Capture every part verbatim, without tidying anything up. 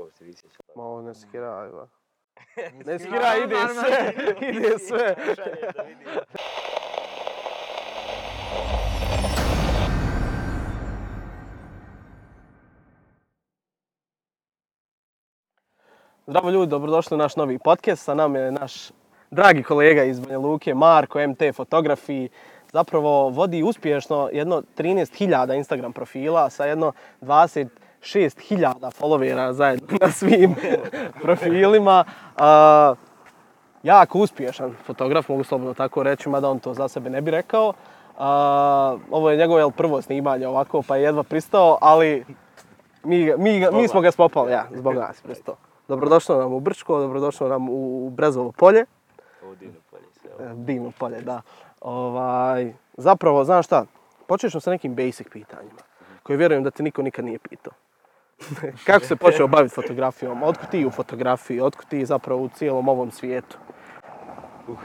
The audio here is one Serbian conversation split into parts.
ovo se visi sve. Ma ovo ne skiraj, ba. Ne skiraj, ide sve, ide sve. Šalje da vidim. Zdravo ljudi, dobrodošli u naš novi podcast. Sa nama je naš dragi kolega iz Banja Luke, Marko, M T Fotografiji. Zapravo vodi uspješno jedno trinaest hiljada Instagram profila sa jedno dvadeset šest hiljada followera zajedno na svim profilima. Uh, jako uspješan fotograf, mogu slobodno tako reći, mada on to za sebe ne bi rekao. Uh, ovo je njegovo jel, prvo snimanje ovako, pa je jedva pristao, ali mi, mi, mi smo ga spopali, ja, zbog nas pristao. Dobrodošlo nam u Brčko, dobrodošlo nam u Brezovo polje. Ovo divno polje sve. E, divno polje, da. Ovaj, zapravo, znaš šta, počet ćemo sa nekim basic pitanjima, koje vjerujem da te niko nikad nije pitao. Kako se počeo baviti fotografijom? Otkud ti u fotografiji? Otkud ti zapravo u cijelom ovom svijetu? Uh,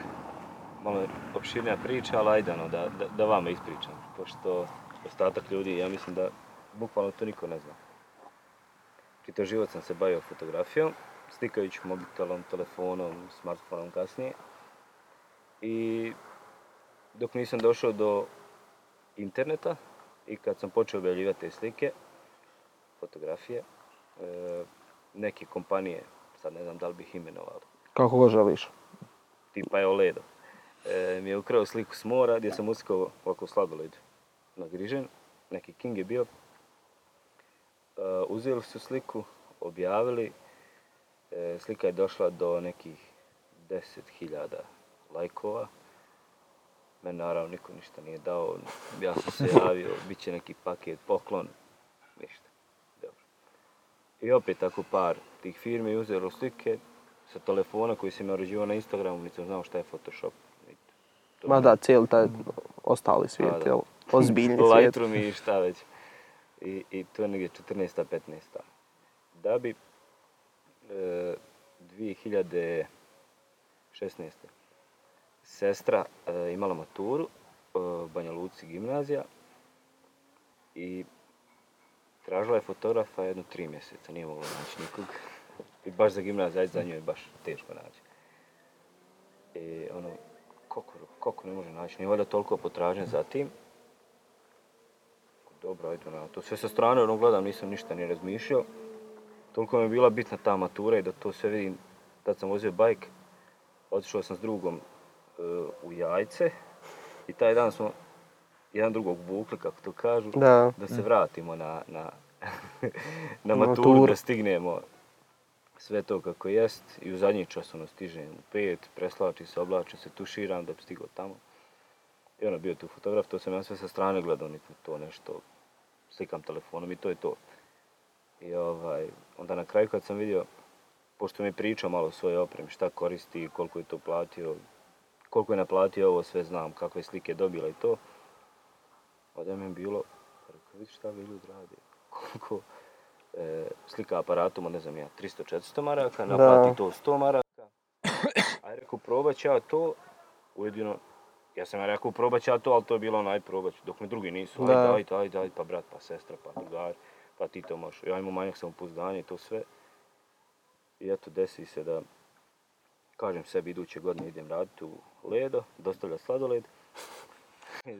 malo je opširnija priča, ali ajde ono, da, da, da vama ispričam. Pošto ostatak ljudi, ja mislim da bukvalno to niko ne zna. Čitav život sam se bavio fotografijom, slikajući mobitelom, telefonom, smartfonom kasnije. I dok nisam došao do interneta i kad sam počeo objavljivati te slike, fotografije, e, neke kompanije, sad ne znam da li bih imenovali. Kako go želiš? Tipa je Oledo. E, mi je ukrao sliku s mora gdje sam uskao ovako sladoled nagrižen. Neki king je bio. Uh, uzeli su sliku, objavili, e, slika je došla do nekih deset hiljada lajkova. Meni naravno niko ništa nije dao, ja sam se javio, bit će neki paket, poklon, ništa. Dobro. I opet tako par tih firmi uzelo slike sa telefona koji sam naređivao na Instagramu, nisam znao šta je Photoshop. To Ma da, cijeli taj ostali svijet, jel? Ozbiljni svijet. Lightroom i šta već. I, i to je negdje četrnaesta petnaesta Da bi e, dvije hiljade šesnaeste sestra e, imala maturu e, u Banja Luci gimnazija i tražila je fotografa jedno tri mjeseca, nije mogla naći nikog. I baš za gimnaziju, ajde za nju je baš teško naći. I ono, kako, kako ne može naći, nije valjda toliko potražnje za tim. Dobro, ajde, no, to sve sa strane ono gledam, nisam ništa ni razmišljao. Toliko mi je bila bitna ta matura i da to sve vidim. Tad sam vozio bajk, otišao sam s drugom uh, u Jajce i taj dan smo jedan drugog vukli, kako to kažu, da, da se vratimo na, na, na maturu, maturu, da stignemo sve to kako jest. I u zadnji čas ono stižem u pet, preslačim se, oblačim se, tuširam da bi stigao tamo. I ono bio tu fotograf, to sam ja sve sa strane gledao, niti to nešto, slikam telefonom i to je to. I ovaj, onda na kraju kad sam vidio, pošto mi je pričao malo o svojoj opremi, šta koristi, koliko je to platio, koliko je naplatio ovo, sve znam, kakve slike dobila i to. Onda mi je bilo, rekao, vidi šta vi ljudi radi, koliko e, slika aparatom, ne znam ja, tristo četiristo maraka, naplati da. To sto maraka. Aj rekao, probat ću ja to, ujedino, ja sam ja rekao, probat ću ja to, ali to je bilo onaj probat, dok mi drugi nisu, ajde, ajde, ajde, ajde, pa brat, pa sestra, pa drugar, pa ti to možeš. Ja imam manjak samopouzdanja i to sve. I eto, desi se da, kažem sebi, iduće godine idem raditi u Ledo, dostavlja sladoled.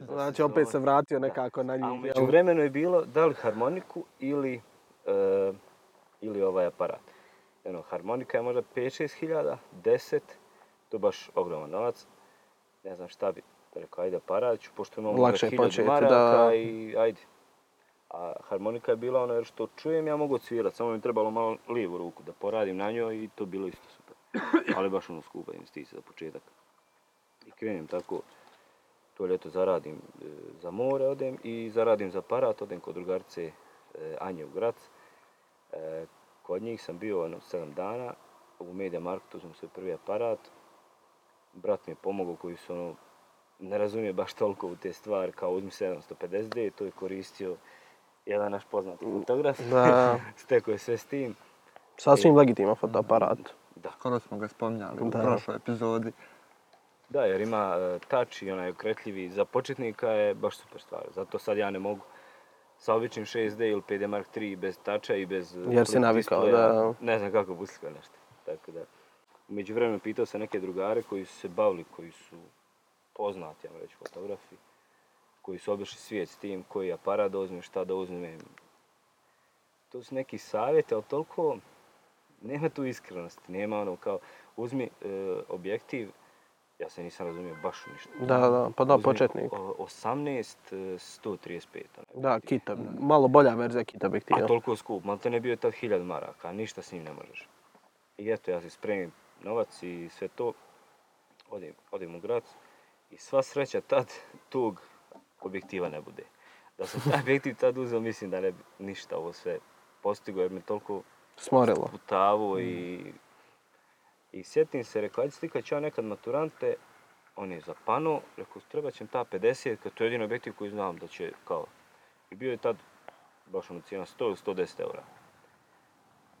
Znači, opet se vratio nekako na njih. A umeđu vremenu je bilo da li harmoniku ili, uh, ili ovaj aparat. Jedno, harmonika je možda pet šest hiljada, deset, to je baš ogroman novac. Ne znam šta bi, rekao, ajde aparat ću, pošto imam možda hiljadu maraka da. I ajde. A harmonika je bila ono jer što čujem ja mogu odsvirati, samo mi trebalo malo lijevu ruku da poradim na njoj i to bilo isto super. Ali baš ono skupa investicija za početak. I krenem tako, to ljeto zaradim e, za more odem i zaradim za aparat, odem kod drugarice e, Anje u Grac. E, kod njih sam bio ono sedam dana, u Media Marketu uzmem svoj prvi aparat. Brat mi je pomogao koji su ono, ne razumije baš toliko u te stvari, kao uzmi sedamsto pedeset D, to je koristio jedan naš poznati fotograf, stekao je sve s tim. Sasvim legitiman fotoaparat. Da. Skoro smo ga spominjali u prošloj epizodi. Da, jer ima uh, touch i onaj okretljivi, za početnika je baš super stvar. Zato sad ja ne mogu sa običnim šest D ili P D Mark tri bez tača i bez Jer si navikao, da. Ne znam kako bi uslikao nešto. Tako da, u međuvremenu pitao sam neke drugare koji su se bavili, koji su poznati, ja reći, fotografi, koji su obišli svijet s tim, koji aparat da uzmem, šta da uzmem. To su neki savjeti, ali toliko nema tu iskrenosti, nema ono kao uzmi e, objektiv, ja se nisam razumio baš ništa. Da, da, pa da, uzmi početnik. osamnaest sto trideset pet. Da, kita, malo bolja verzija kita objektiva. A toliko skup, malo te ne bio tad hiljadu maraka, ništa s njim ne možeš. I eto, ja se spremim novac i sve to, odim, odim u grad i sva sreća tad tog objektiva ne bude. Da sam taj objektiv tad uzeo, mislim da ne bi ništa ovo sve postigo jer me toliko smorilo. Putavo i, i sjetim se, rekao, ajde slikat ću ja nekad maturante, on je zapano, rekao, treba će ta pedeset, kad to je jedin objektiv koji znam da će, kao, i bio je tad baš ono cijena sto ili sto deset eura.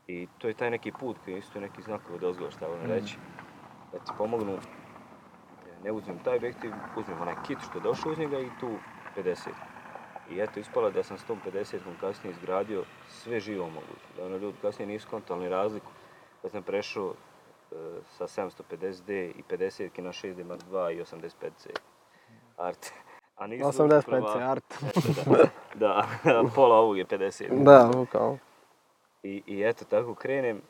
I to je taj neki put koji je isto neki znakovi od ozgo, šta volim reći, da ti pomognu, ne uzmem taj objektiv, uzmem onaj kit što je došao uz njega i tu pedeset. I eto, ispalo da sam s tom pedesetom kasnije izgradio sve živo moguće. Da ono ljudi kasnije nisu kontali razliku. Da sam prešao e, sa sedamsto pedeset D i pedeset na šest D Mark dva i osamdeset pet C Art. A nisu osamdeset pet C Art. Da, da, pola ovog je pedeset. Da, kao. I, I eto, tako krenem.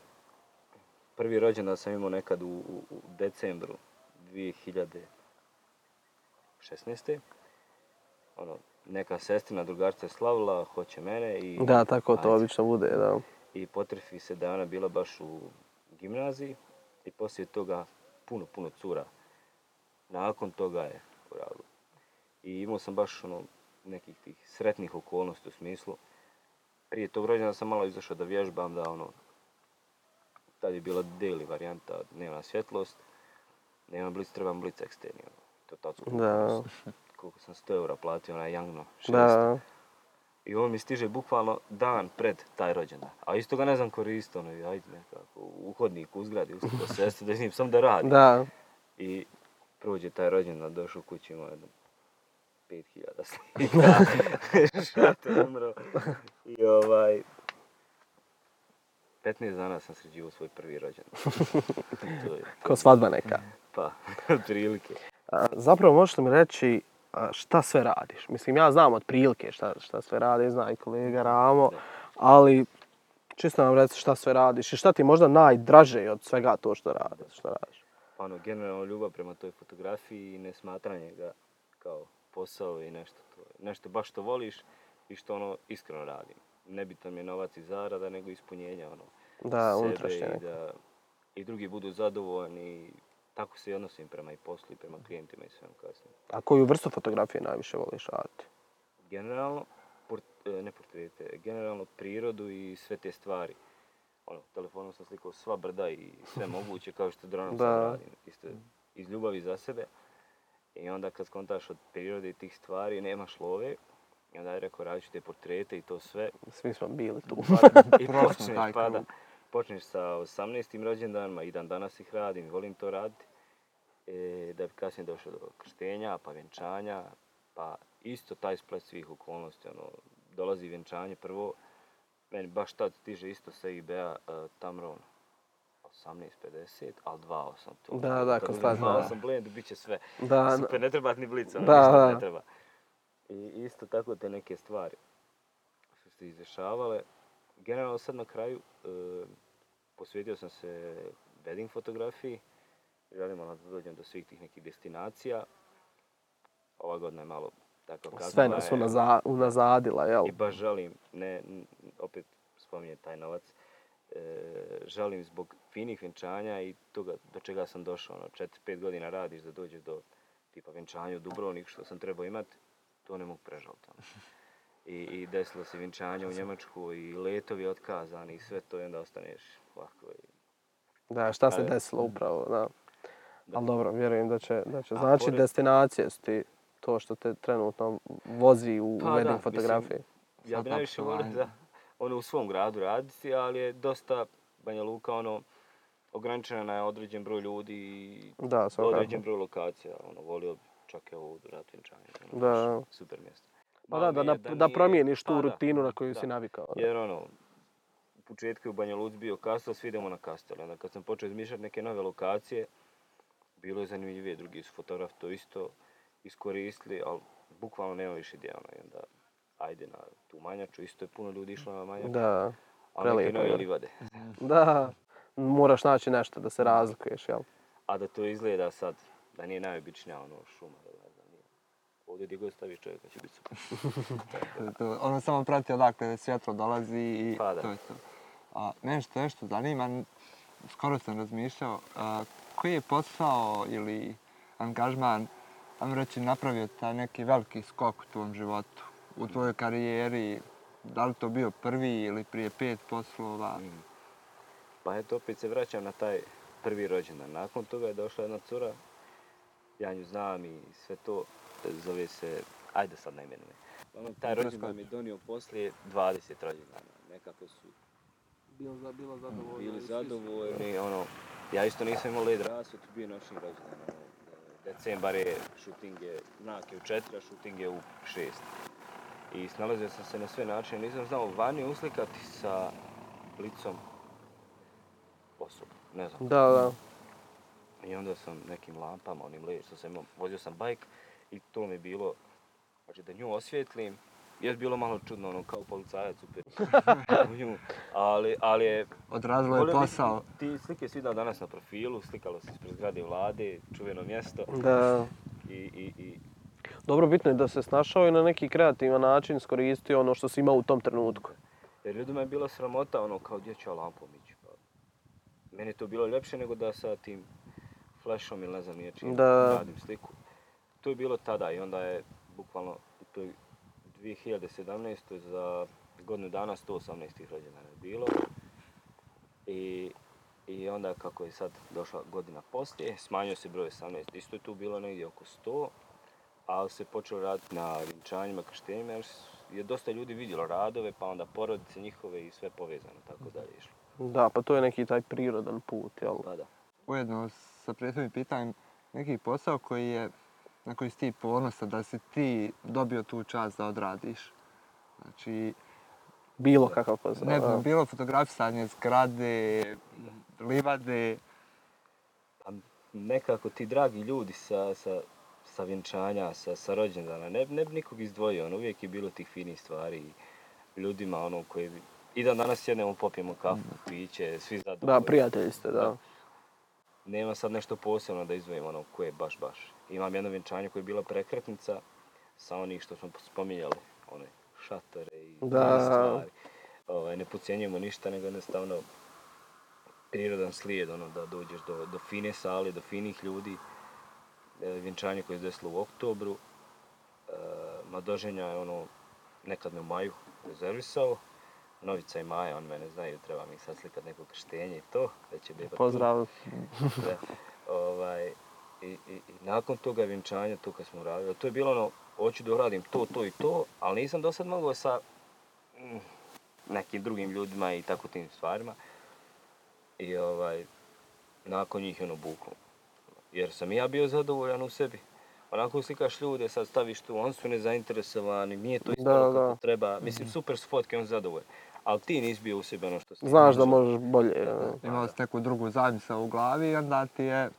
Prvi rođendan sam imao nekad u, u, u decembru dvije hiljade šesnaeste. Ono, neka sestrina drugarica je slavila, hoće mene i... Da, tako to ajde. obično bude, da. I potrefi se da je ona bila baš u gimnaziji i poslije toga puno, puno cura. Nakon toga je uradilo. I imao sam baš ono, nekih tih sretnih okolnosti u smislu. Prije tog rođena sam malo izašao da vježbam, da ono... Tad je bila daily varijanta, dnevna svjetlost. Nema blic, trebam blic eksterni. Ono. To tad skupo. Da. Koliko sam sto eura platio, onaj Jangno šest. Da. I on mi stiže bukvalno dan pred taj rođendan. A isto ga ne znam koristiti, ono, ajde nekako, u hodniku, u zgradi, uskoro sestru, da s njim sam da radi. Da. I prođe taj rođendan, došao u kući, imao jedno pet hiljada slika. Šator umro. I ovaj... petnaest dana sam sređivao svoj prvi rođendan. To je... Ko svadba neka. Pa, prilike. A, zapravo možete mi reći a, šta sve radiš? Mislim, ja znam od prilike šta, šta sve radi, zna i kolega Ramo, ali čisto nam reci šta sve radiš i šta ti je možda najdraže od svega to što radiš, šta radiš? Pa ono, generalno ljubav prema toj fotografiji i nesmatranje ga kao posao i nešto to. Nešto baš što voliš i što ono iskreno radim. Nebitno mi je novac i zarada, nego ispunjenja ono da, sebe i da i drugi budu zadovoljni. Tako se i odnosim prema i poslu i prema klijentima i svemu kasnije. A koju vrstu fotografije najviše voliš raditi? Generalno, port, ne portrete, generalno prirodu i sve te stvari. Ono, telefonom sam slikao sva brda i sve moguće, kao što dronom sad radim. Isto iz ljubavi za sebe. I onda kad skontaš od prirode i tih stvari, nemaš love. I onda je rekao, radit ću te portrete i to sve. Svi smo bili tu. Pa, I počneš, pa da. Počneš sa osamnaestim rođendanima i dan danas ih radim i volim to raditi. E, da bi kasnije došao do krštenja, pa vjenčanja, pa isto taj splet svih okolnosti. Ono, dolazi vjenčanje prvo, meni baš tad stiže isto sa I B A uh, Tamron osamnaest pedeset, ali dva osam to. Da, da, kad stvar dva osam blend, bit će sve. Da, super, ne treba ni blica, ono, da, ništa da. ne treba. I isto tako te neke stvari su se izdešavale. Generalno sad na kraju uh, posvetio sam se wedding fotografiji. Želim ono da dođem do svih tih nekih destinacija. Ova godina je malo tako kazna. Sve nas unaza, unazadila, jel? I baš želim, ne, opet spominjem taj novac, e, želim zbog finih vjenčanja i toga do čega sam došao. Ono, četiri pet godina radiš da dođeš do tipa vjenčanja u Dubrovnik što sam trebao imati, to ne mogu prežaliti. Ono. I, I desilo se vjenčanje u Njemačku i letovi otkazani i sve to i onda ostaneš ovako. I... Da, šta se Ali, desilo upravo, da. Da. Ali dobro, vjerujem da će, da će A, znači pored... destinacije su ti to što te trenutno vozi u pa, wedding da, fotografiji. Mislim, ja bi najviše volio da ono u svom gradu raditi, ali je dosta Banja Luka ono ograničena na određen broj ljudi i da, određen broj lokacija. Ono, volio bi čak evo u Rat vjenčanje. Ono, da. Super mjesto. Pa da, da, da, da, da nije- promijeniš tu pa da, rutinu na koju da. si navikao. Da. Jer ono, u početku je u Banja Luci bio kastel, svi idemo na kastel. Onda kad sam počeo izmišljati neke nove lokacije, bilo je zanimljivije, drugi su fotografi to isto iskoristili, ali bukvalno nema više ideja. Ono, i onda ajde na tu Manjaču, isto je puno ljudi išlo na Manjaču, Da, ali neke prelijepo nove je. livade. Da, moraš naći nešto da se razlikuješ, jel? A da to izgleda sad, da nije najobičnija ono šuma, da ne znam, nije. Ovdje gdje god staviš čovjeka će biti super. To je to. Ono samo prati odakle svjetlo dolazi i Pa da. to je to. A nešto, nešto zanima, skoro sam razmišljao, a, koji je posao ili angažman, ajmo reći, napravio taj neki veliki skok u tvom životu, u tvojoj karijeri, da li to bio prvi ili prije pet poslova? Mm. Pa eto, opet se vraćam na taj prvi rođendan. Nakon toga je došla jedna cura, ja nju znam i sve to, zove se, ajde sad ne imenujem. Ono, taj rođendan mi je donio poslije dvadeset rođendana. Nekako su Bilo, bilo zadovoljno. bili zadovoljni, ono, ja isto nisam imao led rasvjet, bio je našim rođendan. Ono, decembar je, šuting je, mrak je u četiri, a šuting je u šest. I snalazio sam se na sve načine, nisam znao vani uslikati sa licom osobu, ne znam. Da, da. I onda sam nekim lampama, onim led, što sam imao, vozio sam bajk i to mi je bilo, znači da nju osvijetlim, je bilo malo čudno, ono, kao policajac u nju, ali, ali je... Odrazilo je volio bih- posao. Ti slike si vidio danas na profilu, slikalo se ispred zgrade vlade, čuveno mjesto Da. i, i, i Dobro, bitno je da se snašao i na neki kreativan način iskoristio ono što si imao u tom trenutku. jer ljudima je bila sramota, ono, kao gdje ću ja lampom ići. Pa, meni je to bilo ljepše nego da sa tim flashom ili ne znam nije čim Da. radim sliku. To je bilo tada i onda je bukvalno u toj dvije hiljade sedamnaestoj za godinu dana sto osamnaest rođendana je bilo. I, I onda kako je sad došla godina poslije, smanjio se broj osamnaest. Isto je tu bilo negdje oko sto, ali se počelo raditi na vjenčanjima, krštenjima jer je dosta ljudi vidjelo radove, pa onda porodice njihove i sve povezano, tako dalje išlo. Da, pa to je neki taj prirodan put, jel? Pa da. Ujedno sa prethodnim pitanjem, neki posao koji je, na koji si ti ponosan da si ti dobio tu čast da odradiš. Znači, Bilo kakav posao. ne znam, da. bilo fotografisanje zgrade, livade. Pa nekako ti dragi ljudi sa, sa, sa vjenčanja, sa, sa rođendana, ne, ne bi nikog izdvojio, ono, uvijek je bilo tih finih stvari i ljudima ono koji... I dan danas sjednemo, popijemo kafu, piće, svi zadovoljni. Da, prijatelji ste, da. Nema sad nešto posebno da izdvojim ono koje je baš baš. Imam jedno vjenčanje koje je bila prekretnica sa onih što smo spominjali, one šatore i Da. stvari. Ovaj, ne podcjenjujemo ništa, nego jednostavno prirodan slijed, ono, da dođeš do, do fine sale, do finih ljudi. E, vjenčanje koje se desilo u oktobru. E, Madoženja je ono, nekad me u maju rezervisao. Novica i Maja, on mene znaju, treba mi sad slikat neko krštenje i to, već je beba tu. Pozdrav. Da, ovaj, i, i, i nakon toga vjenčanja, to kad smo radili, to je bilo ono, hoću da uradim to, to i to, ali nisam do sad mogao sa mm, nekim drugim ljudima i tako tim stvarima. I ovaj, nakon njih je ono buklo. Jer sam i ja bio zadovoljan u sebi. Onako slikaš ljude, sad staviš tu, oni su nezainteresovani, nije to isto Da, kako da. treba. Mislim, super su fotke, on zadovoljan. Ali ti nisi bio u sebi ono što si. Znaš da možeš bolje. Da. Imao si neku drugu zamisao u glavi i onda ti je...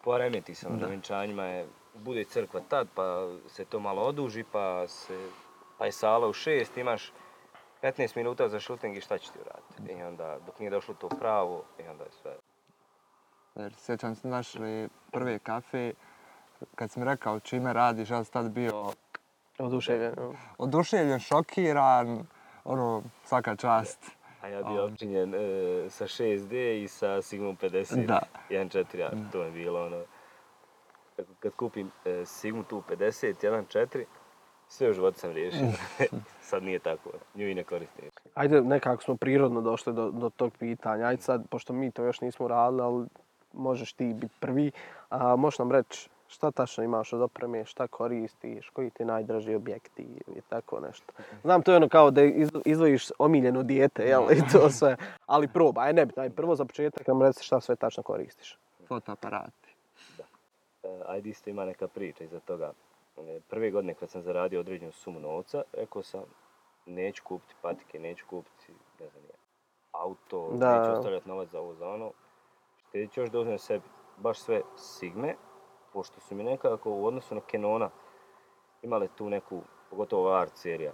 Poremeti se na vjenčanjima, je, bude crkva tad, pa se to malo oduži, pa, se, pa je sala u šest, imaš petnaest minuta za šuting i šta ćeš ti uraditi? I onda, dok nije došlo to pravo, i onda je sve. Jer sjećam se našli prve kafe, kad sam rekao čime radiš, ja sam tad bio Oduševljen. ja. oduševljen, šokiran, ono, svaka čast. A ja bio opčinjen e, sa šest D i sa Sigmom pedeset, Da. jedan četiri A, to je bilo ono. Kad, kad kupim e, Sigmu tu pedeset, jedan četiri, sve u životu sam riješio. Sad nije tako, nju i ne koristim. Ajde, nekako smo prirodno došli do, do tog pitanja. Ajde sad, pošto mi to još nismo radili, ali možeš ti biti prvi, a možeš nam reći šta tačno imaš od opreme, šta koristiš, koji ti najdraži objekti i tako nešto. Znam, to je ono kao da iz- izdvojiš omiljeno dijete, jel, i to sve, ali probaj, aj nebitno, aj prvo za početak nam reci šta sve tačno koristiš. Fotoaparati. E, ajde isto ima neka priča iza toga. prve godine kad sam zaradio određenu sumu novca, rekao sam neću kupiti patike, neću kupiti, ne znam, auto, Da. neću ostavljati novac za ovo, za ono. Štedit ću još da uzmem sebi baš sve Sigme, pošto su mi nekako u odnosu na Canona imale tu neku, pogotovo art serija.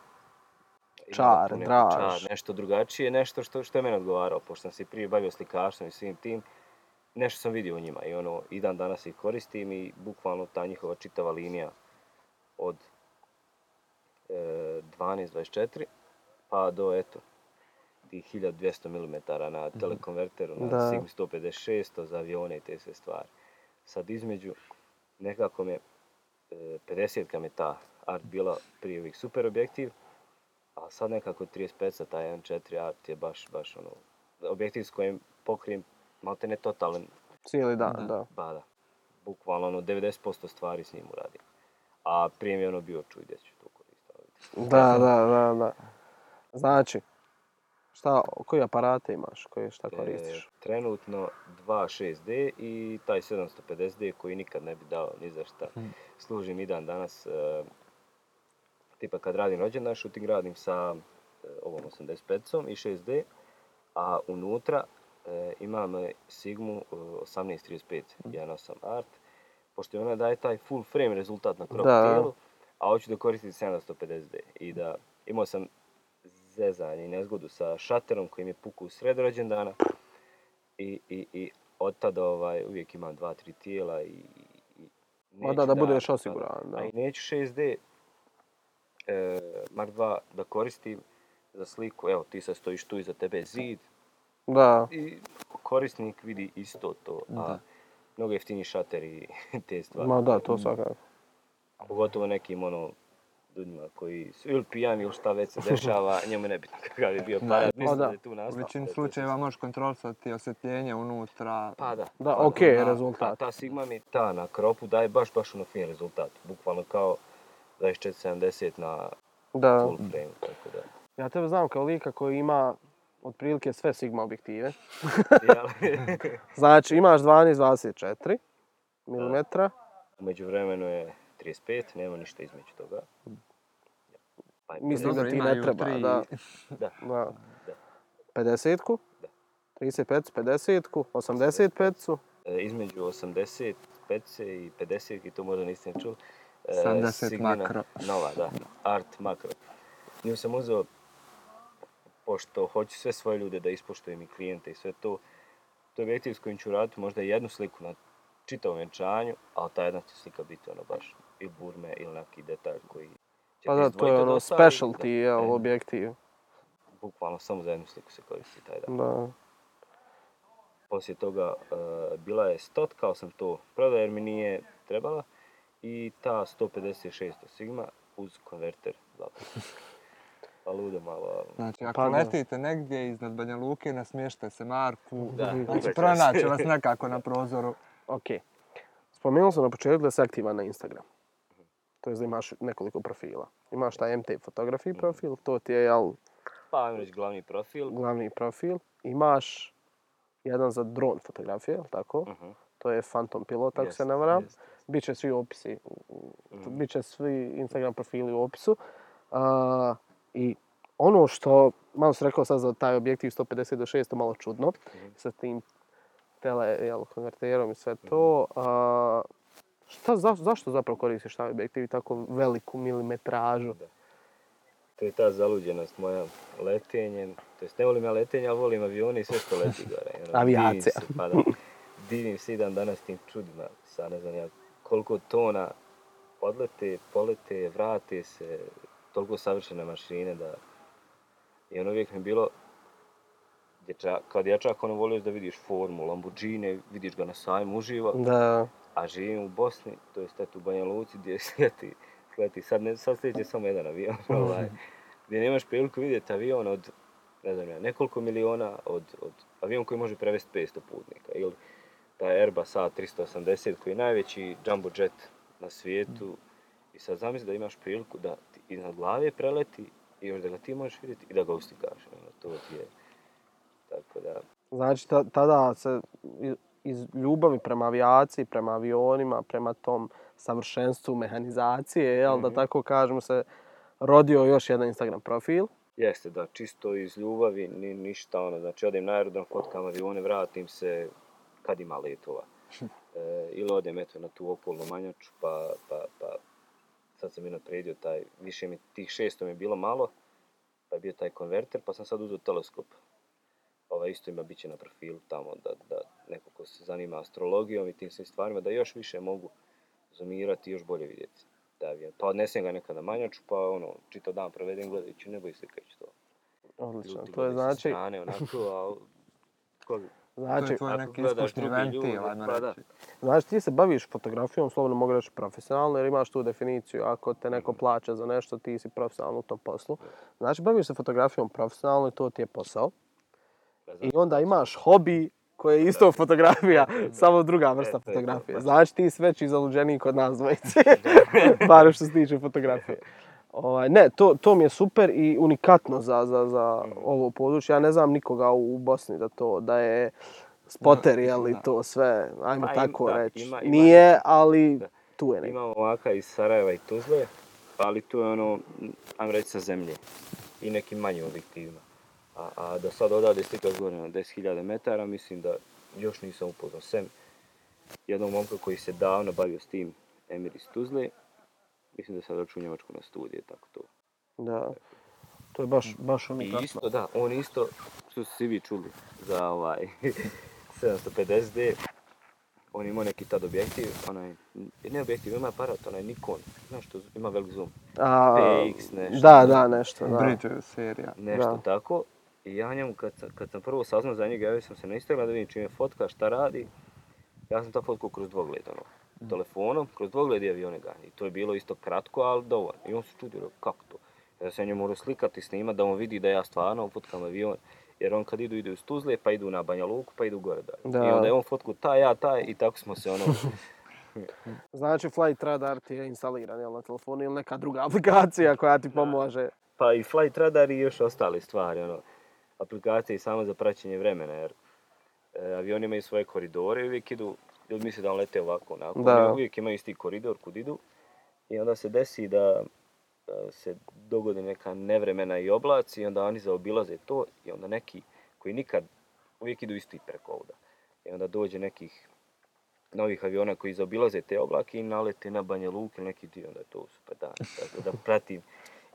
imale Čar, tu neku draž. čar, nešto drugačije, nešto što, što je mene odgovaralo, pošto sam se prije bavio slikarstvom i svim tim, nešto sam vidio u njima i ono, i dan danas ih koristim i bukvalno ta njihova čitava linija od e, dvanaest dvadeset četiri pa do eto tih hiljadu dvjesto milimetara na telekonverteru, na Da. Sigma sto pedeset šest za avione i te sve stvari. Sad između nekako me e, pedeset mi je ta art bila prije ovih super objektiv, a sad nekako trideset pet sa taj M četiri art je baš, baš ono, objektiv s kojim pokrijem malte ne totalan, Cijeli dan, Da. da. ba da, bukvalno ono devedeset posto stvari s njim uradim. A prije mi je ono bio čuj gdje ću to koristiti. Da, da, da, da. Znači, šta, koji aparate imaš, koje šta koristiš? E, trenutno dva šest D i taj sedamsto pedeset D koji nikad ne bi dao ni za šta. Služim i dan danas, e, tipa kad radim rođendan, shooting radim sa e, ovom osamdeset petom i šest D, a unutra e, imam Sigmu e, osamnaest trideset pet jedan osam art, pošto ona daje taj full frame rezultat na crop Da. tijelu, a hoću da koristim sedamsto pedeset D. I da imao sam zezanje i nezgodu sa šaterom koji mi je pukao u sred rođendana i, i, i od tada ovaj, uvijek imam dva, tri tijela i, i Ma neću da, da budeš osiguran, da. A i neću šest D e, Mark dva da koristim za sliku, evo ti sad stojiš tu iza tebe je zid Da, i korisnik vidi isto to, a Da. mnogo jeftiniji šateri i te stvari. ma da, to svakako. Pogotovo nekim ono ljudima koji su ili pijani ili šta već se dešava, njemu je nebitno kakav je bio aparat, mislim da. da je tu U nastao. većini da je to slučajeva možeš kontrolisati osvjetljenje unutra. Pa da. Da, pa okej, ta- rezultat. Ta, ta Sigma mi ta na kropu daje baš, baš ono fin rezultat. Bukvalno kao dvadeset četiri sedamdeset na Da. full frame, tako da. Ja tebe znam kao lika koji ima otprilike sve Sigma objektive. Jel? Znači, imaš dvanaest dvadeset četiri milimetra. U međuvremenu je trideset pet, nema ništa između toga. Pa je Mislim Dobro, da ti imaju ne treba, tri- da. Da, Da. da. pedesetku, Da. trideset pet, pedesetku, osamdeset pet. E, između osamdeset pet i pedeset, i to možda niste čuli. e, sedamdeset Sigmina makro. Nova, da, art makro. Nju sam uzeo, pošto hoću sve svoje ljude da ispoštujem i klijente i sve to. To je objektiv s kojim ću raditi možda jednu sliku na čitavom vjenčanju, ali ta jedna će slika biti ono baš ili burme ili neki detalj koji će Pa te da, to izdvojiti je od ono ostalih, specialty, da. jel, E, objektiv. Bukvalno samo za jednu sliku se koristi taj dan. Da. Poslije toga e, bila je stot, kao sam to prodao jer mi nije trebala, i ta sto pedeset šest Sigma uz konverter dva puta. Pa ludo malo. ali- Znači, ako Pa da. letite negdje iznad Banja Luke, nasmješte se Marku. Da, Znači, uveća pronaće se. vas nekako na prozoru. Ok. Spomenuo sam na početku da si aktivan na Instagram. To je da imaš nekoliko profila. Imaš taj M T Photography profil, to ti je, jel, Pa ajmo reći glavni profil. glavni profil. Imaš jedan za dron fotografije, jel tako? Uh-huh. To je Phantom Pilot, ako Jest, se ne varam. jest, jest. Biće svi opisi, Mhm. biće svi Instagram profili u opisu. A, I ono što, malo sam rekao sad za taj objektiv sto pedeset do šest, malo čudno, Mhm. sa tim tele, jel, konverterom i sve to. A, šta, za, zašto zapravo koristiš taj objektiv i tako veliku milimetražu? Da. To je ta zaluđenost moja letenjem. To jest ne volim ja letenje, ali volim avione i sve što leti gore. Ono, Avijacija. divim se, pa da, divim se i dan danas tim čudima. Sad ne znam ja koliko tona odlete, polete, vrate se, toliko savršene mašine da... I ono uvijek mi je bilo, dječa, kad ja čak ono volio da vidiš formu, Lamborghini, vidiš ga na sajmu uživo, Da, a živim u Bosni, to jest eto u Banja Luci gdje sleti, sleti, sad, ne, sad sljeće samo jedan avion, ovaj, gdje nemaš priliku vidjeti avion od, ne znam ja, nekoliko miliona, od, od avion koji može prevesti petsto putnika, ili taj Airbus A tristo osamdeset koji je najveći jumbo jet na svijetu, i sad zamisli da imaš priliku da ti iznad glave preleti i još da ga ti možeš vidjeti i da ga ustikaš, ono, to ti je, tako da, znači ta- tada se i- iz ljubavi prema avijaciji, prema avionima, prema tom savršenstvu mehanizacije, jel, Mhm. da tako kažemo se, rodio još jedan Instagram profil. Jeste, da, čisto iz ljubavi, ni, ništa ono, znači odem na aerodrom, fotkam avione, vratim se kad ima letova. E, ili odem eto na tu okolnu manjaču, pa, pa, pa sad sam i napredio taj, više mi tih šesto mi je bilo malo, pa je bio taj konverter, pa sam sad uzeo teleskop. Ova isto ima bit će na profilu tamo, da, da neko ko se zanima astrologijom i tim svim stvarima, da još više mogu zoomirati i još bolje vidjeti. Da, pa odnesem ga nekada na manjaču, pa ono, čitav dan provedem gledajući nebo i slikajući to. Odlično, Ljudi to je gledaju sa znači, strane, onako, a ko, To znači, je tvoj ako neki gledaš ispušni druge ljude, ventil, ajmo pa da. reći. znači ti se baviš fotografijom, slobodno mogu reći profesionalno, jer imaš tu definiciju, ako te neko plaća za nešto, ti si profesionalno u tom poslu. Znači, baviš se fotografijom profesionalno i to ti je posao. I onda imaš hobi koji je isto fotografija, samo druga vrsta E, to je to, fotografije. baš. Znači ti si veći zaluđeniji kod nas dvojice, bar što se tiče fotografije. Ovaj, ne, to, to mi je super i unikatno za, za, za ovo područje. Ja ne znam nikoga u Bosni da to, da je spoter, Da, jel, i da. to sve, ajmo Pa im- tako da, reći. ima- ima Nije, neki- ali da. tu je neki. Imamo ovaka iz Sarajeva i Tuzle, ali tu je ono, ajmo reći sa zemlje i nekim manjim objektivima. A, a da sad odavde slikaš gore na deset hiljada metara, mislim da još nisam upoznao sem jednog momka koji se davno bavio s tim, Emir iz Tuzle. Mislim da sad došao u Njemačku na studije, tako to. Da, to je baš, baš I unikatno. isto, da, on isto, što ste svi vi čuli, za ovaj sedamsto pedeset D, on imao neki tad objektiv, onaj, ne objektiv, ima aparat, onaj Nikon, znaš što, ima velik zoom, A, P X nešto. Da, da, nešto, da. Bridge serija. nešto Da. tako. I ja njemu, kad sam, kad sam prvo saznao za njega, javio sam se na Instagram da vidim čim je fotka, šta radi. Ja sam ta fotku kroz dvogled, ono, telefonom, kroz dvogled i avione gani. I to je bilo isto kratko, ali dovoljno. I on se čudio, kako to? Ja sam njemu morao slikati i snimati da on vidi da ja stvarno fotkam avion. Jer on kad idu, idu iz Tuzle, pa idu na Banja Luku, pa idu gore dalje. Da. I onda je on fotku taj, ja taj i tako smo se ono... Znači Flight Radar ti je instaliran, jel, na telefonu ili neka druga aplikacija koja ti pomaže. Pa i Flight Radar i još ostale stvari, ono, aplikacije samo za praćenje vremena, jer e, avioni imaju svoje koridore i uvijek idu, ljudi misle da on lete ovako, onako, Da. oni uvijek imaju isti koridor kud idu i onda se desi da e, se dogodi neka nevremena i oblaci i onda oni zaobilaze to i onda neki koji nikad, uvijek idu isti preko ovda. I onda dođe nekih novih aviona koji zaobilaze te oblake i nalete na Banja Luku ili neki dio, onda je to super dan. Tako da pratim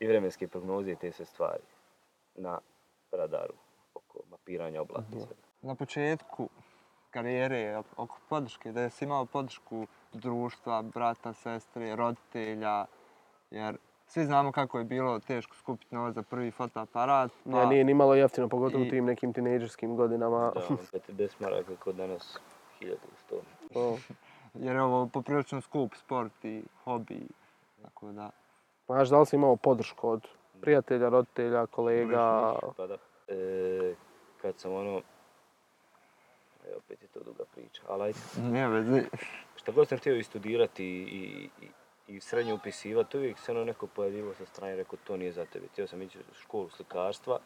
i vremenske prognoze i te sve stvari na radaru oko mapiranja oblaka i sve. Na početku karijere, oko podrške, da jesi imao podršku društva, brata, sestre, roditelja, jer svi znamo kako je bilo teško skupiti novac za prvi fotoaparat. Pa Ja, nije ni malo jeftino, pogotovo u i- tim nekim tinejdžerskim godinama. Da, on pedeset maraka kod danas hiljadu sto. To. jer je ovo poprilično skup sport i hobi, tako da. Znaš, da li si imao podršku od prijatelja, roditelja, kolega? Pa da, e, kad sam ono, e, opet je to duga priča, ali ajde. Nije vezi. Šta god sam htio i studirati i, i, i srednje upisivati, uvijek se ono neko pojavljivo sa strane i rekao to nije za tebe. Htio sam ići u školu slikarstva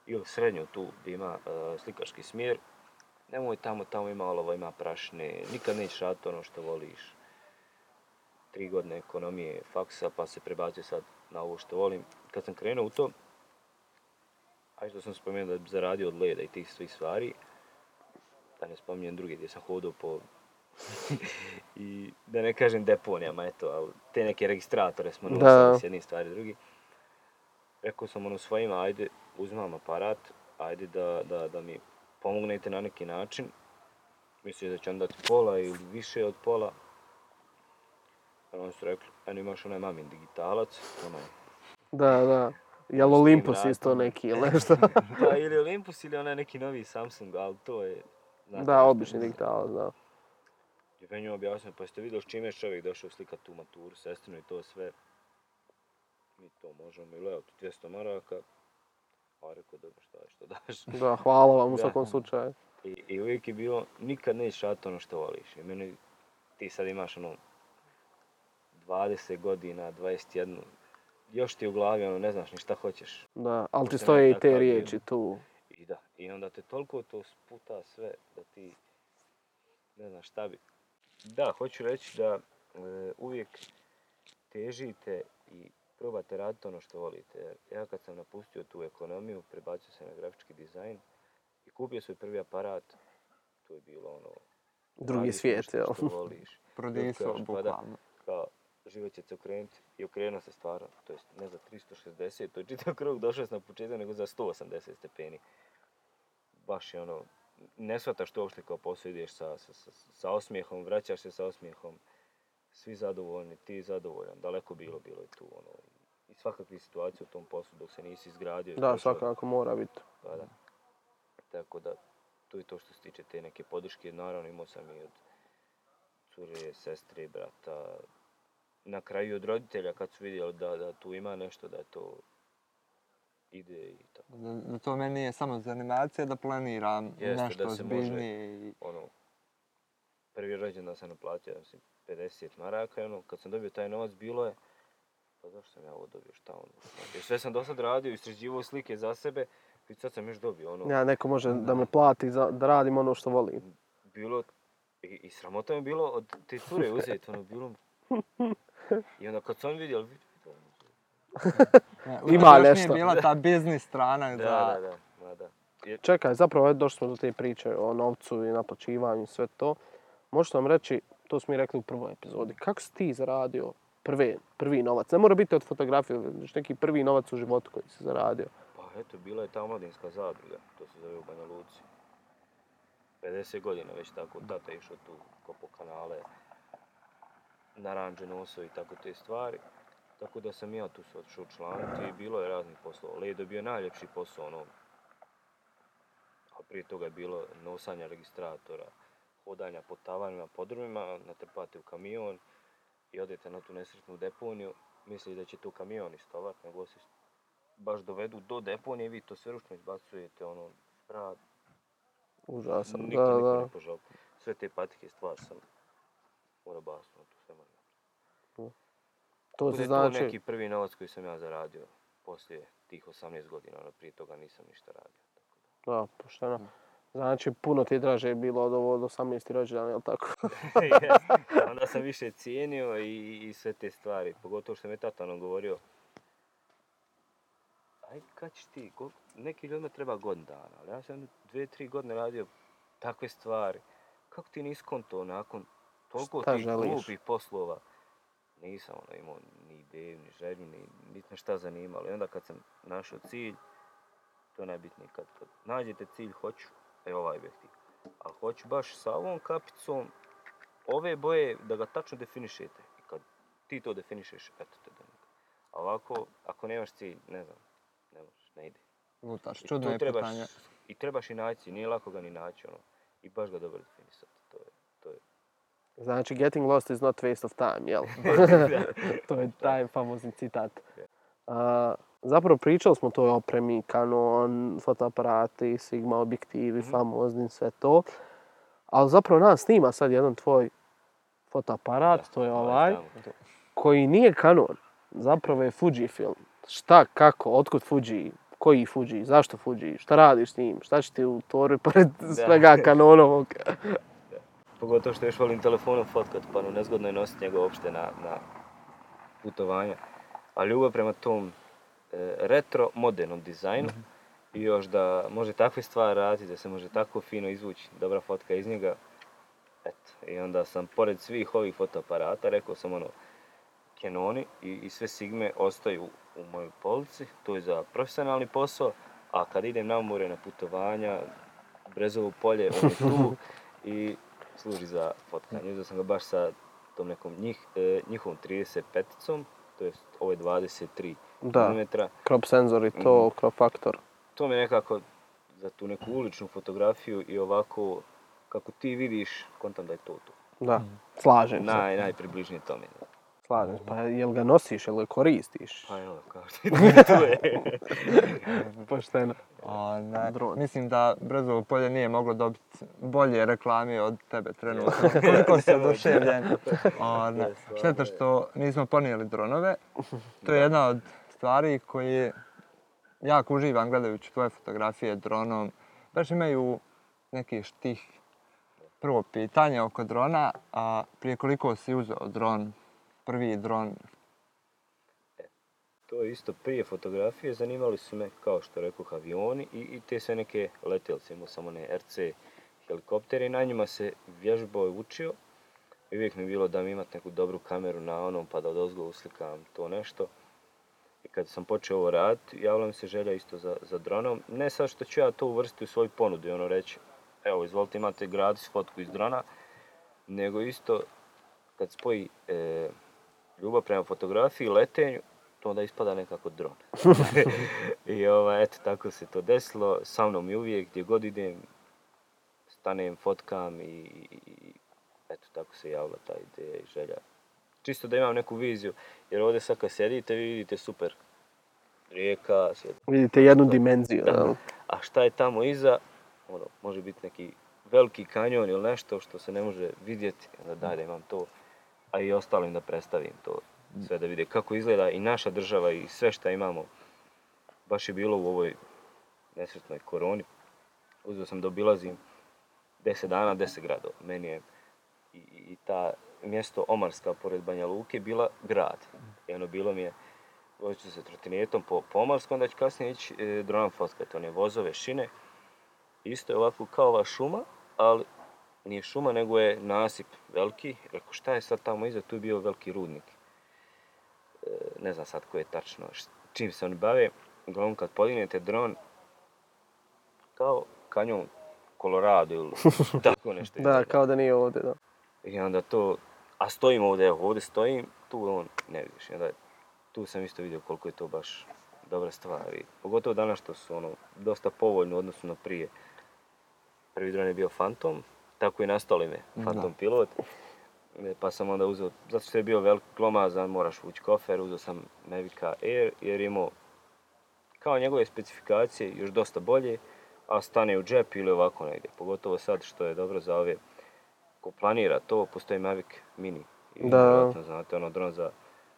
ili srednju tu gdje ima uh, slikaški smjer. Nemoj tamo, tamo ima olovo, ima prašne, nikad nećeš raditi ono što voliš. Tri godine ekonomije, faksa, pa se prebacio sad na ovo što volim. Kad sam krenuo u to, a što sam spomenuo da bi zaradio od leda i tih svih stvari, da ne spominjem druge gdje sam hodao po i da ne kažem deponijama, eto, ali te neke registratore smo nosili s jednih stvari drugi. Rekao sam ono svojima, ajde, uzmam aparat, ajde da, da, da mi pomognete na neki način. Mislim da će vam dati pola ili više od pola. Oni su rekli, eno imaš onaj mamin digitalac, onaj. Da, da. Jel Olympus isto neki ili nešto? Pa ili Olympus ili onaj neki novi Samsung, ali to je... znate Da, nešto. obični digitalac, da. I meni je objasnio, pa ste vidjeli s čime je čovjek došao slikati tu maturu, sestrinu i to sve. Mi to možemo ili evo, dvjesto maraka. A rekao, dobro, šta je, što daš. Da, hvala vam u Da. svakom slučaju. I, I uvijek je bilo, nikad nećeš raditi ono što voliš. I meni, ti sad imaš ono dvadeset godina, dvadeset jedan, još ti u glavi ono, ne znaš ni šta hoćeš. Da, ali ti Pošto stoje nema i te takav riječi dio. tu. I da, i onda te toliko to sputa sve da ti ne znaš šta bi. Da, hoću reći da e, uvijek težite i probate raditi ono što volite. Ja kad sam napustio tu ekonomiju, prebacio se na grafički dizajn i kupio svoj prvi aparat, to je bilo ono... Drugi radiš svijet, nešto jel? što voliš. Prodisao, Još kažeš, pa da, bukvalno. kao, život će se okrenuti i okrenuo se stvarno. To jest ne za tristo šezdeset, to je čitav krug, došao sam na početak, nego za sto osamdeset stepeni. Baš je ono, ne shvataš to uopšte kao posao, ideš sa, sa, sa, sa osmijehom, vraćaš se sa osmijehom, svi zadovoljni, ti zadovoljan, daleko bilo, bilo je tu ono. I svakakve situacije u tom poslu dok se nisi izgradio. Da, svakako mora biti. Pa da. Tako da, to je to što se tiče te neke podrške. Naravno imao sam i od cure, sestre, brata, na kraju od roditelja kad su vidjeli da, da tu ima nešto, da to ide i tako. Da, da to meni nije samo za animacije, da planiram Jeste, nešto da se ozbiljnije. može, I... ono, prvi rođendan sam naplatio, mislim, pedeset maraka, ono, kad sam dobio taj novac, bilo je, pa zašto sam ja ovo dobio, šta ono? Jer sve sam do sad radio, istraživao slike za sebe, i sad sam još dobio, ono... Ja, neko može da me plati za, da radim ono što volim. Bilo, i, i sramota mi bilo od te cure uzeti, ono, bilo... I onda kad sam vidjel, vidi, Ne, Ima još nešto. nije bila ta biznis strana. da, za... da, da, da, da. Jer, Čekaj, zapravo došli smo do te priče o novcu i naplaćivanju i sve to. Možete nam reći, to smo mi rekli u prvoj epizodi, kako si ti zaradio prve, prvi novac? Ne mora biti od fotografije, već neki prvi novac u životu koji si zaradio. pa eto, bila je ta omladinska zadruga, to se zove u Banja Luci. pedeset godina već tako, tata je išao tu kopo kanale, naranđe nosao i tako te stvari. Tako da sam ja tu se otišao članiti i bilo je raznih poslova. Ledo je bio najljepši posao, ono, a prije toga je bilo nosanja registratora, hodanja po tavanima, podrumima, natrpate u kamion i odete na tu nesretnu deponiju. Misli da će tu kamion istovat, nego se baš dovedu do deponije i vi to sve ručno izbacujete, ono, smrad. Užasan, Niko, da, niko da. ne požao. Sve te patike stvar sam morao basno, to sve moram. To To se je znači... to neki prvi novac koji sam ja zaradio poslije tih osamnaest godina, ono, prije toga nisam ništa radio. Tako Da, pošteno. Znači, puno ti je draže bilo od ovo od osamnaesti rođendana, jel tako? da. Yes. Onda sam više cijenio i, i sve te stvari, pogotovo što mi je tata ono govorio, aj kad ćeš ti, go, neki ljudima treba godin dana, ali ja sam dvije, tri godine radio takve stvari. Kako ti nisi konto nakon toliko Šta tih želiš? glupih poslova? Nisam ono, imao ni ideju, ni želju, ni, ni me šta zanimalo. I onda kad sam našao cilj, to je najbitnije. Kad, kad nađete cilj, hoću, e ovaj objektiv. Ali hoću baš sa ovom kapicom, ove boje, da ga tačno definišete. I kad ti to definišeš, eto te do njega. A ovako, ako nemaš cilj, ne znam, ne možeš, ne ide. Lutaš, I čudno tu je trebaš, pitanje. I trebaš i naći, nije lako ga ni naći, ono. I baš ga dobro definisati, to je, to je. Znači, getting lost is not waste of time, jel? To je taj famozni citat. Uh, zapravo pričali smo o toj opremi, Canon, fotoaparati, Sigma objektivi, Mhm. famozni, sve to. Ali zapravo nas snima sad jedan tvoj fotoaparat, to je ovaj, tamo. koji nije Canon. Zapravo je Fujifilm. Šta, kako, otkud Fuji, koji Fuji, zašto Fuji, šta radiš s njim, šta će ti u torbi pored svega Canonovog? Pogotovo što još volim telefonom fotkat, pa no nezgodno je nositi njega uopšte na, na putovanja. A ljubav prema tom e, retro modernom dizajnu Mhm. i još da može takve stvari raditi, da se može tako fino izvući dobra fotka iz njega. Eto, i onda sam pored svih ovih fotoaparata, rekao sam ono, Canoni i, i sve Sigme ostaju u mojoj polici, to je za profesionalni posao, a kad idem na more, na putovanja, Brezovo polje, on je tu i služi za fotkanje. Uzeo sam ga baš sa tom nekom njih, e, njihovom trideset peticom, to je ovo je dvadeset tri Da. milimetra. Crop senzor i to, crop faktor. To mi je nekako za tu neku uličnu fotografiju i ovako kako ti vidiš, kontam da je to to. Da, slažem se. Naj, najpribližnije tome. Slažem se. Pa jel ga nosiš, jel ga koristiš? Pa evo, kao što je tu je. Pošteno. O, ne. Dron. Mislim da Brezovo polje nije moglo dobiti bolje reklame od tebe trenutno. Koliko si oduševljen. O, ne. Šteta što nismo ponijeli dronove. To je jedna od stvari koje jako uživam gledajući tvoje fotografije dronom. Baš imaju neki štih. prvo pitanje oko drona, a prije koliko si uzeo dron, prvi dron? To je isto prije fotografije, zanimali su me, kao što rekoh, avioni i, i te sve neke letjelce, imao sam one R C helikoptere i na njima se vježbao i učio. I uvijek mi je bilo da mi imati neku dobru kameru na onom pa da odozgo uslikam to nešto. I kad sam počeo ovo raditi, javila mi se želja isto za, za dronom. Ne sad što ću ja to uvrstiti u svoju ponudu i ono reći, evo izvolite imate gratis fotku iz drona, nego isto kad spoji e, ljubav prema fotografiji i letenju, to onda ispada nekako dron. I ovaj, eto, tako se to desilo. Sa mnom i uvijek, gdje god idem, stanem, fotkam i, i eto, tako se javila ta ideja i želja. Čisto da imam neku viziju, jer ovdje sad kad sjedite, vi vidite super rijeka. Sjed... Vidite jednu dimenziju. Da. A šta je tamo iza, ono, može biti neki veliki kanjon ili nešto što se ne može vidjeti, onda daj da imam to, a i ostalim da predstavim to. Sve da vide kako izgleda i naša država i sve što imamo. Baš je bilo u ovoj nesretnoj koroni. Uzeo sam da obilazim deset dana, deset gradova. Meni je i, i ta mjesto Omarska pored Banja Luke bila grad. I ono bilo mi je, vozit ću se trotinetom po, po Omarsku, onda ću kasnije ići e, dronom fotkati. One vozove, šine. Isto je ovako kao ova šuma, ali nije šuma nego je nasip veliki. Rekao šta je sad tamo iza, tu je bio veliki rudnik. Ne znam sad ko je tačno, čim se oni bave, uglavnom kad podignete dron, kao kanjon Colorado ili tako nešto. Da, kao da nije ovdje, da. I onda to, a stojim ovdje, evo ovdje stojim, tu on ne vidiš. I onda tu sam isto vidio koliko je to baš dobra stvar. I pogotovo danas što su ono, dosta povoljno u odnosu na prije. Prvi dron je bio Phantom, tako i nastalo ime, Phantom da. Pilot. Pa sam onda uzeo, zato što je bio velik glomazan, moraš vući kofer, uzeo sam Mavica Air jer imao kao njegove specifikacije još dosta bolje, a stane u džep ili ovako negdje. Pogotovo sad što je dobro za ove ko planira to, postoji Mavic Mini. I da. Vjerojatno znate ono dron za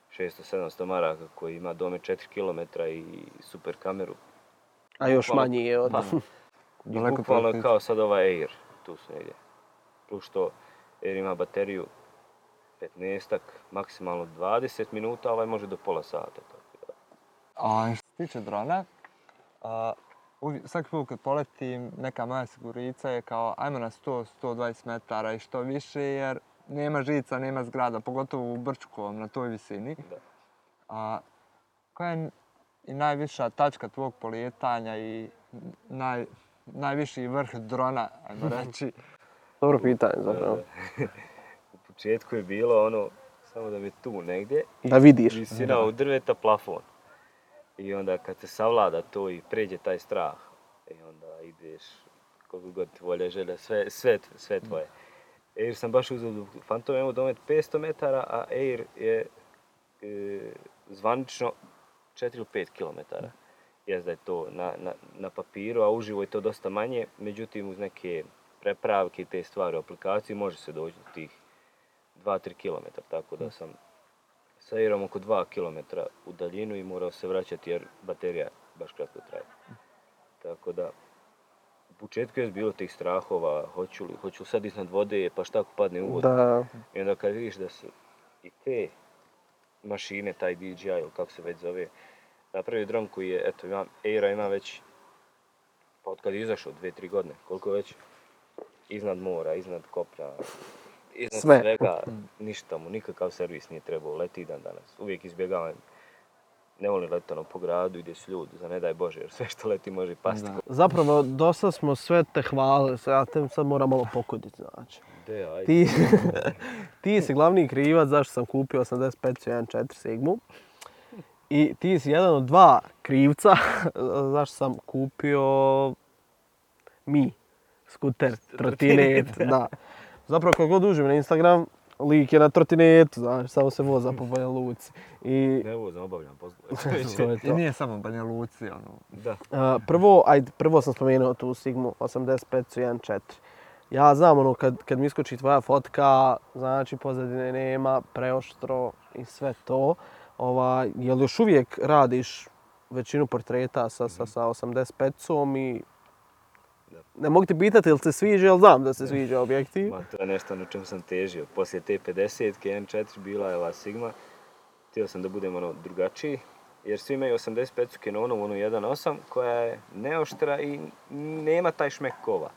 šesto sedamsto maraka koji ima dome četiri kilometra i super kameru. A još bukvalno, manji je od... Pa, i bukvalno kao sad ova Air, tu su negdje. Plus što Air ima bateriju petnaestak, maksimalno dvadeset minuta, ovaj može do pola sata. Tako da. A što se tiče drona, a, uvijek, svaki put kad poletim, neka moja sigurica je kao ajmo na sto do sto dvadeset metara i što više jer nema žica, nema zgrada, pogotovo u Brčkovom na toj visini. Da. A, koja je i najviša tačka tvog polijetanja i naj, najviši vrh drona, ajmo reći? Dobro pitanje zapravo. U početku je bilo ono, samo da mi tu negdje. Da vidiš. Visina u drveta, plafon. I onda kad se savlada to i pređe taj strah, i onda ideš koliko god volja, želja, sve, sve, sve tvoje. Air sam baš uzeo Phantom, imamo domet petsto metara, a Air je e, zvanično četiri do pet kilometara. Jest da je to na, na, na papiru, a uživo je to dosta manje, međutim uz neke prepravke i te stvari u aplikaciji može se doći do tih dva do tri kilometra, tako da sam sa Airom oko dva kilometra u daljinu i morao se vraćati jer baterija baš kratko traje. Tako da, u početku je bilo tih strahova, hoću li, hoću li sad iznad vode, pa šta ako padne u vodu. Da. I onda kad vidiš da su i te mašine, taj D J I ili kako se već zove, napravio dron koji je, eto, imam, Aira ima već, pa od kad je izašao, dvije, tri godine, koliko već, iznad mora, iznad kopna, iznad sve. Svega, ništa mu, nikakav servis nije trebao, leti dan danas. Uvijek izbjegavam, ne volim letano po gradu, ide s ljudi, za ne daj Bože, jer sve što leti može pasti. Da. Zapravo, dosta smo sve te hvalili, ja te sad moram malo pokuditi, znači. De, ajde. Ti, ti si glavni krivac zašto sam kupio osamdeset pet jedan četiri Sigmu. I ti si jedan od dva krivca zašto sam kupio Mi, skuter, trotinet, da. Zapravo kad god uđem na Instagram, lik je na trotinetu, znaš, samo se voza po Banja Luci. I... Ne vozam, obavljam poslove. to je to. I nije samo Banja Luci, ono. Da. Uh, prvo, ajde, prvo sam spomenuo tu Sigmu osamdeset pet jedan četiri. Ja znam ono, kad, kad mi iskoči tvoja fotka, znači pozadine nema, preoštro i sve to. Ova, jel još uvijek radiš većinu portreta sa, sa, sa osamdeset petom i Ne mogu ti pitati ili se sviđa, ili znam da se sviđa objektiv. Ma, to je nešto na čem sam težio. Poslije te pedesetke N četiri bila je ova Sigma. Htio sam da budem ono drugačiji. Jer svi imaju osamdeset pet Canonu, onu jedan osam, koja je neoštra i nema taj šmek kova.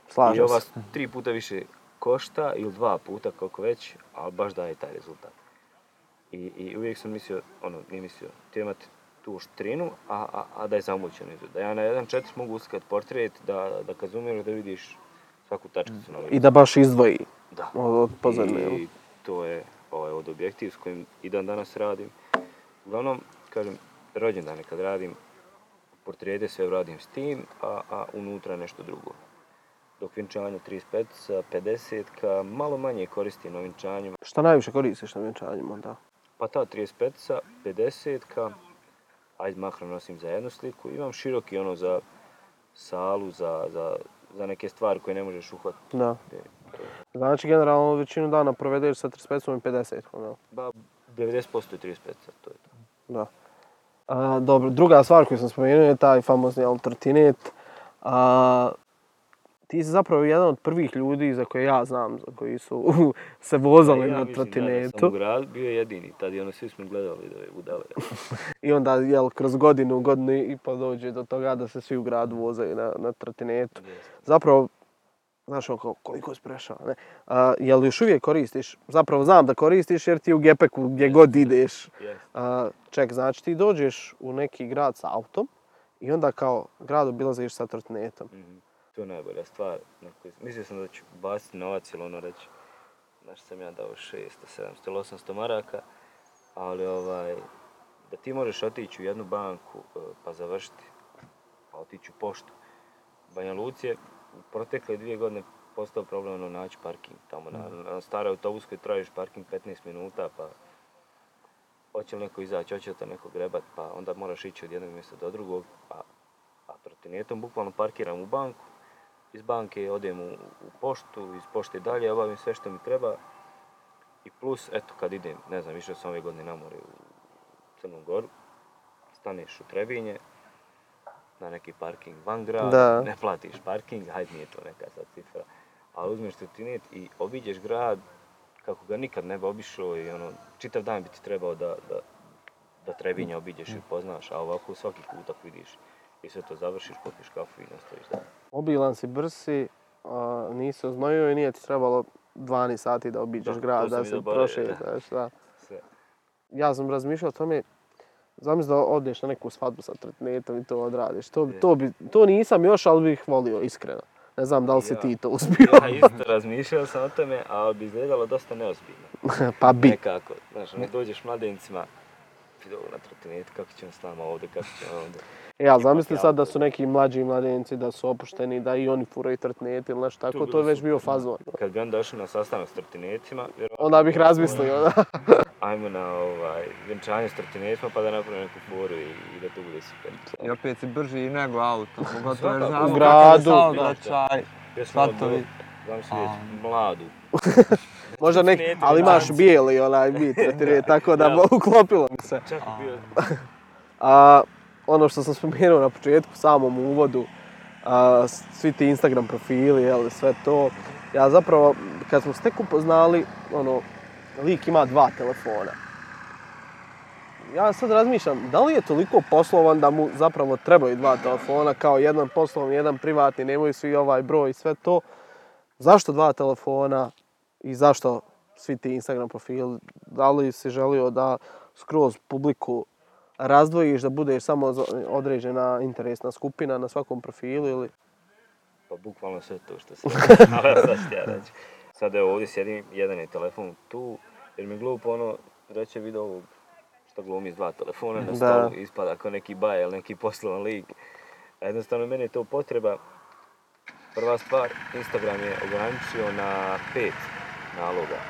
Slažem I ova se. tri puta više košta, ili dva puta koliko već, ali baš daje taj rezultat. I, i uvijek sam mislio, ono, nije mislio, htio imati tu oštrinu, a, a, a da je zamućeno izgled. Da ja na jedan četiri mogu uskat portret, da, da kad zoomiraš da vidiš svaku tačkicu na licu. I da baš izdvoji Da. od, od pozadine. jel? I to je ovaj, od objektiv s kojim i dan danas radim. Uglavnom, kažem, rođendane kad radim, portrete sve radim s tim, a, a unutra nešto drugo. Dok vjenčanje trideset pet, pedeset, malo manje koristim na vjenčanjima. Šta najviše koristiš na vjenčanjima, da? Pa ta trideset pet, pedeset, ajde makro nosim za jednu sliku. Imam široki ono za salu, za, za, za neke stvari koje ne možeš uhvatiti. Da. Znači, generalno većinu dana provedeš sa trideset pet i pedeset, da? Ba, devedeset posto je trideset pet, to je to. Da. A, dobro, druga stvar koju sam spomenuo je taj famozni trotinet. A, ti si zapravo jedan od prvih ljudi za koje ja znam, za koji su se vozali ja na mislim, trotinetu. Da, sam u gradu bio jedini, tad je ono, svi smo gledali da je budale. I onda, jel, kroz godinu, godinu i pa dođe do toga da se svi u gradu vozaju na, na trotinetu. Zapravo, znaš, oko, koliko si prešao, ne? A, jel još uvijek koristiš? Zapravo znam da koristiš jer ti u gepeku gdje god ideš. A, ček, znači ti dođeš u neki grad sa autom i onda kao grad obilaziš sa trotinetom. Mm-hmm. To je najbolja stvar. Mislio sam da ću baciti novac ili ono reći, znaš sam ja dao šesto, sedamsto ili osamsto maraka, ali ovaj, da ti možeš otići u jednu banku pa završiti, pa otići u poštu. Banja Luci je u protekle dvije godine postao problem naći parking. Tamo na, na staroj autobuskoj tražiš parking petnaest minuta, pa hoće li neko izaći, hoće li te neko grebat, pa onda moraš ići od jednog mjesta do drugog, a, a trotinetom bukvalno parkiram u banku, iz banke odem u, u poštu, iz pošte dalje, obavim sve što mi treba i plus, eto, kad idem, ne znam, išao sam ove godine na more u Crnu Goru, staneš u Trebinje, na neki parking van grada, ne platiš parking, hajde nije to neka sad cifra, ali uzmeš trotinet i obiđeš grad kako ga nikad ne bi obišao i ono, čitav dan bi ti trebao da, da, da Trebinje obiđeš i poznaš, a ovako svaki kutak vidiš i sve to završiš, popiš kafu i nastaviš dalje. Obilan si, brz si, a, nisi oznojio i nije ti trebalo dvanaest sati da obiđeš da, grad, da se prošetaš. Da. Ja sam razmišljao o tome, zamisli da odeš na neku svadbu sa trotinetom i to odradiš. To, to, bi, to nisam još, ali bih volio, iskreno. Ne znam da li si ja, ti to uspio. Ja isto razmišljao sam o tome, ali bi izgledalo dosta neozbiljno. Pa bi. Nekako, znaš, ne dođeš mladencima, vidio na trotinetu, kako ćemo s nama ovdje, kako ćemo ovdje. Ja, zamisli sad da su neki mlađi mladenci, da su opušteni, da i oni furaju trotinet ili nešto tako, to je već bio fazon. Kad bi on došao na sastanak s trotinetima, onda bih razmislio, da. Ajmo na ovaj, vjenčanje s trotinetima pa da napravimo neku foru i, i da to bude super. I opet si brži nego auto, pogotovo jer znamo u gradu. Saobraćaj, svatovi. Znam si vidjeti mladu. Možda nek, ali imaš bijeli onaj bit, trotinet, tako da ja. Uklopilo mi se. Čak bio. A, ono što sam spomenuo na početku, samom uvodu, a, svi ti Instagram profili, jel, sve to. Ja zapravo, kad smo se tek upoznali, ono, lik ima dva telefona. Ja sad razmišljam, da li je toliko poslovan da mu zapravo trebaju dva telefona, kao jedan poslovni, jedan privatni, nemaju svi ovaj broj i sve to. Zašto dva telefona i zašto svi ti Instagram profili? Da li si želio da skroz publiku razdvojiš, da budeš samo određena interesna skupina na svakom profilu ili? Pa bukvalno sve to što se ali sad ću ja reći. Sad evo ovdje sjedim, jedan je telefon tu, jer mi glupo ono, reće video ovog što glumi s dva telefona na stolu, ispada kao neki baj ili neki poslovan lik. A jednostavno meni je to potreba. Prva stvar, Instagram je ograničio na pet naloga,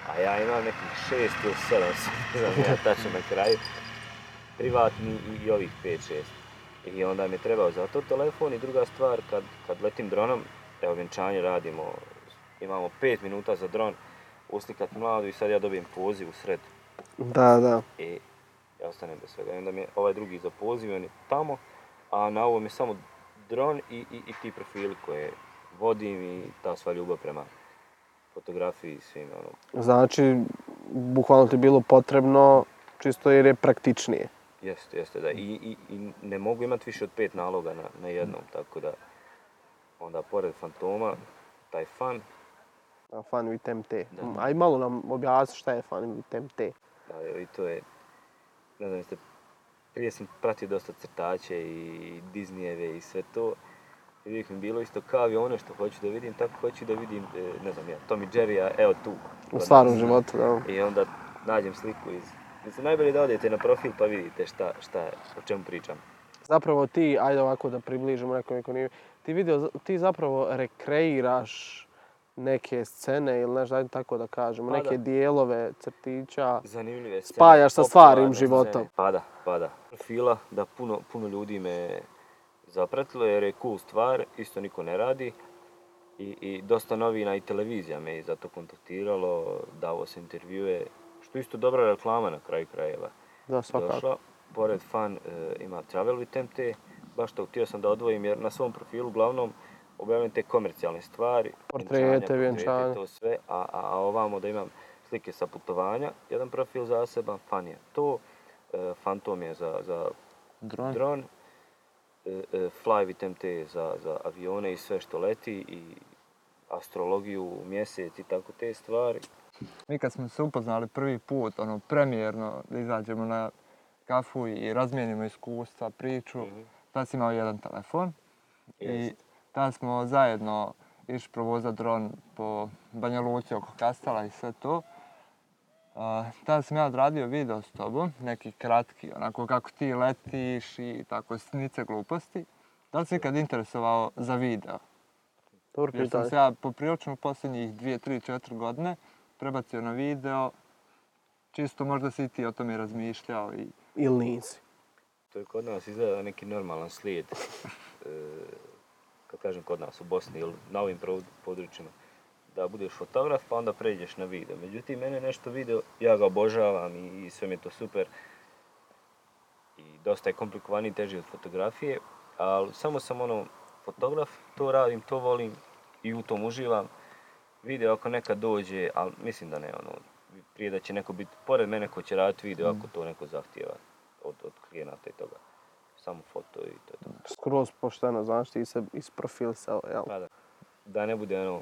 a ja imam nekih šest ili sedam, ne znam ja tačno na kraju, privatni i, i ovih pet šest. I onda mi je trebao za to telefon i druga stvar, kad, kad letim dronom, evo vjenčanje radimo, imamo pet minuta za dron, uslikat mladu i sad ja dobijem poziv u sred. Da, da. I ja ostanem bez svega. I onda mi je ovaj drugi za poziv, on je tamo, a na ovom je samo dron i, i, i ti profili koje vodim i ta sva ljubav prema fotografiji i svim ono. Znači, bukvalno ti je bilo potrebno čisto jer je praktičnije. Jeste, jeste, da. I, i, i ne mogu imati više od pet naloga na, na jednom, tako da onda pored Fantoma, taj fan. Fan with M T. Da. Aj malo nam objasni šta je fan with M T. Da, evo, i to je, ne znam, jeste, prije sam pratio dosta crtače i Disneyjeve i sve to. I uvijek mi bilo isto kao i ono što hoću da vidim, tako hoću da vidim, e, ne znam ja, Tom i Jerrya, evo tu. U stvarnom životu, da. I onda nađem sliku iz... Mislim, najbolje da odete na profil pa vidite šta, šta je, o čemu pričam. Zapravo ti, ajde ovako da približimo nekom ko nije, ti video, ti zapravo rekreiraš neke scene ili nešto, ajde tako da kažemo, pa neke da. dijelove crtića, zanimljive scene, spajaš sa stvarnim popularne životom. scene. Pa da, pa da. Profila da puno, puno ljudi me zapratilo jer je cool stvar, isto niko ne radi. I, i dosta novina i televizija me je zato kontaktiralo, davo se intervjue, što isto dobra reklama na kraju krajeva. Da, svakako. Došla. Pored fan e, ima Travel with M T, baš to htio sam da odvojim jer na svom profilu uglavnom objavljam te komercijalne stvari, Portrete, vjenčanja, to sve, a, a, a ovamo da imam slike sa putovanja, jedan profil zaseban, fan je to, e, Fantom je za, za Dron. dron, e, e, Fly with M T za, za avione i sve što leti i astrologiju, mjesec i tako te stvari. Mi kad smo se upoznali prvi put, ono, premijerno, da izađemo na kafu i razmijenimo iskustva, priču, Mm-hmm. tad si imao jedan telefon i Jest. tad smo zajedno išli provozati dron po Banja Luci oko Kastela i sve to. Uh, tada sam ja odradio video s tobom, neki kratki, onako kako ti letiš i tako sitnice gluposti. Da li si ikad interesovao za video? Dobro Jer sam pitanje. se ja poprilično posljednjih dvije, tri, četiri godine prebacio na video. Čisto možda si i ti o tome razmišljao i... Ili nisi. To je kod nas izgleda neki normalan slijed, e, kad kažem kod nas u Bosni ili na ovim područjima, da budeš fotograf pa onda pređeš na video. Međutim, mene nešto video, ja ga obožavam i, i sve mi je to super. I dosta je komplikovaniji, teži od fotografije, ali samo sam ono fotograf, to radim, to volim i u tom uživam. Video ako nekad dođe, ali mislim da ne, ono, prije da će neko biti pored mene ko će raditi video ako to neko zahtijeva od, od klijenata i toga. Samo foto i to je to. Skroz pošteno, znaš, ti se isprofilisao, jel? Pa da. Da ne bude ono,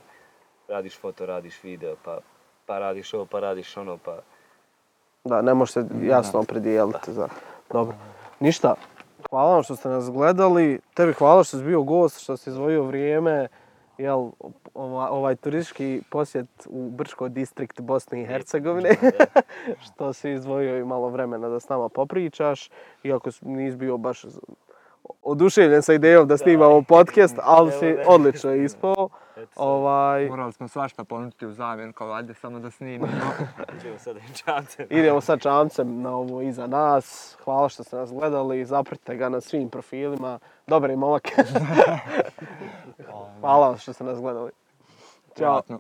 radiš foto, radiš video, pa, pa radiš ovo, pa radiš ono, pa... Da, ne možeš se jasno opredijeliti za... Dobro. Ništa, hvala vam što ste nas gledali. Tebi hvala što si bio gost, što si izdvojio vrijeme. Jel, ova, ovaj turistički posjet u Brčko distrikt Bosne i Hercegovine. Što si izdvojio i malo vremena da s nama popričaš. Iako nisi bio baš oduševljen sa idejom da snimamo podcast, ali si odlično ispao. Ovaj... Morali smo svašta ponuditi u zamjen, kao ajde samo da snimimo. Idemo sad čamcem. Idemo sad čamcem na ovo iza nas. Hvala što ste nas gledali. Zapratite ga na svim profilima. Dobar je momak. Hvala što ste nas gledali. Ćao. Vratno.